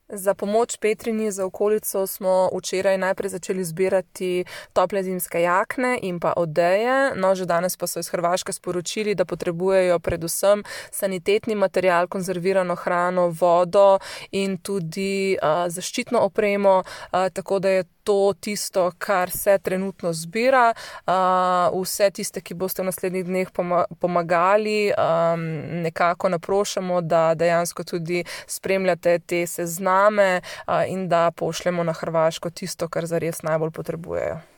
Za pomoč Petrini za okolico smo včeraj najprej začeli zbirati tople zimske jakne in pa odeje. No, že danes pa so iz Hrvaške sporočili, da potrebujejo predvsem sanitetni material, konzervirano hrano, vodo in tudi zaščitno opremo, tako da je to tisto, kar se trenutno zbira. Vse tiste, ki boste v naslednjih dneh pomagali, nekako naprošamo, da dejansko tudi spremljate te sezname in da pošljemo na Hrvaško tisto, kar zares najbolj potrebujejo.